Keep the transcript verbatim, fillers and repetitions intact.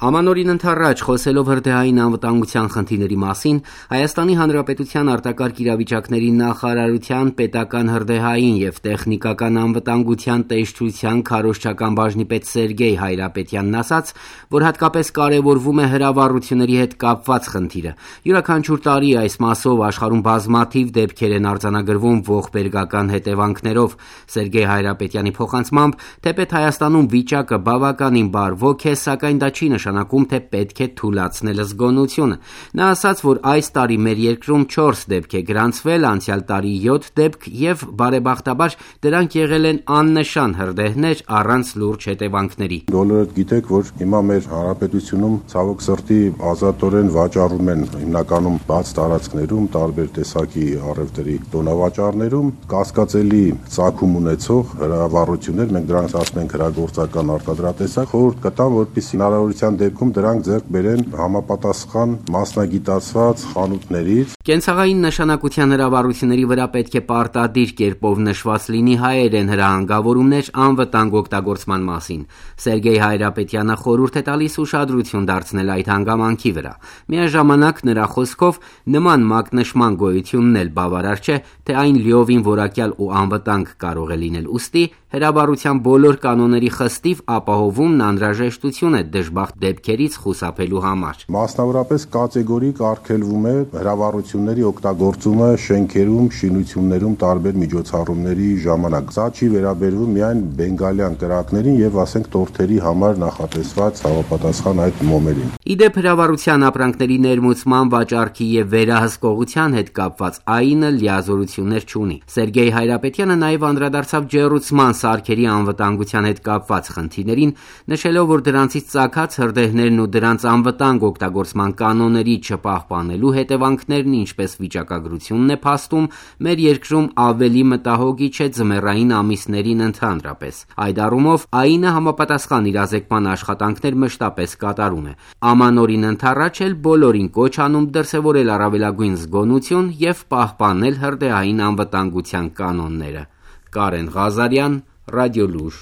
Ամանորին ընդառաջ խոսելով հրդեհային անվտանգության խնդիրների մասին, Հայաստանի Հանրապետության արտակարգ իրավիճակների նախարարության պետական հրդեհային և տեխնիկական անվտանգության տեսչության քարոզչական բաժնի պետ Սերգեյ Հայրապետյանն ասաց, որ հատկապես կարևորվում է հրավառությունների հետ կապված խնդիրը։ Յուրաքանչյուր տարի այս մասով աշխարհում բազմաթիվ դեպքեր են արձանագրվում ողբերգական հետևանքներով։ Սերգեյ Հայրապետյանի փոխանցմամբ, թեպետ Հայաստանում վիճակը բավականին բարվոք է, սակայն դա չի նշանակում, թե պետք է թուլացնել զգոնությունը։ Նա ասաց, որ այս տարի մեր երկրում չորս դեպք է գրանցվել, անցյալ տարի յոթ դեպք և բարեբախտաբար դրանք եղել են աննշան հրդեհներ առանց լուրջ հետևանքների։ Բոլորդ գիտեք, որ հիմա մեր հանրապետությունում ցավոք սրտի ազատորեն վաճառում են հիմնականում բաց տարածքներում, տարբեր տեսակի առևտրի տոնավաճառներում կասկածելի ծագում ունեցող հրավառություններ, մենք դրանց ասում ենք հրագործական արտադրատեսակ, խորհուրդ կտամ, որպեսզի հնարավորության դեպքում դրանք ձեռք բերեն համապատասխան մասնագիտացված խանութներից։ Կենցաղային նշանակության հրավառությունների վրա պետք է պարտադիր կերպով նշված լինի հայերեն հրահանգավորումներ անվտանգ օգտագործման մասին։ Սերգեյ Հայրապետյանը խորհուրդ է տալիս ուշադրություն դարձնել այդ հանգամանքի վրա։ Միաժամանակ նրա խոսքով նման մակնշման գոյությունն էլ բավարար չէ, թե այն լիովին որակյալ ու անվտանգ կարող է լինել, ուստի հրավառության բոլոր կանոնների խստիվ ապահովումն անհրաժեշտություն է դժբախտ դեպքերից խուսափելու համար։ Մասնավորապես կատեգորիկ արգելվում է հրավառությունների օգտագործումը շենքերում, շինություններում տարբեր միջոցառումների ժամանակ։ Սա չի վերաբերվում միայն բենգալյան կրակներին եւ ասենք տորթերի համար նախատեսված համապատասխան այդ մոմերին։ Իդեպ հրավառության ապրանքների ներմուծման, վաճառքի եւ վերահսկողության հետ կապված այինը լիազորություններ չունի։ Սերգեյ Հայրապետյանը նաեւ անդրադարձավ ջեռուցման սարքերի անվտանգության հետ կապված խնդիրներին, նշելով, որ դրանցից ծագած հրդեհներն ու դրանց անվտանգ օգտագործման կանոնների չպահպանելու հետևանքներն, ինչպես վիճակագրությունն է փաստում, մեր երկրում ավելի մտահոգիչ է ձմեռային ամիսներին ընդհանրապես։ Այդ առումով այինը համապատասխան իրազեկման աշխատանքներ մշտապես կատարում է։ Ամանորին ընդառաջ էլ բոլորին կոչ անում դրսևորել առավելագույն զգոնություն և պահպանել հրդեհային անվտանգության կանոնները։ Կարեն Ղազարյան, Ռադիոլուր։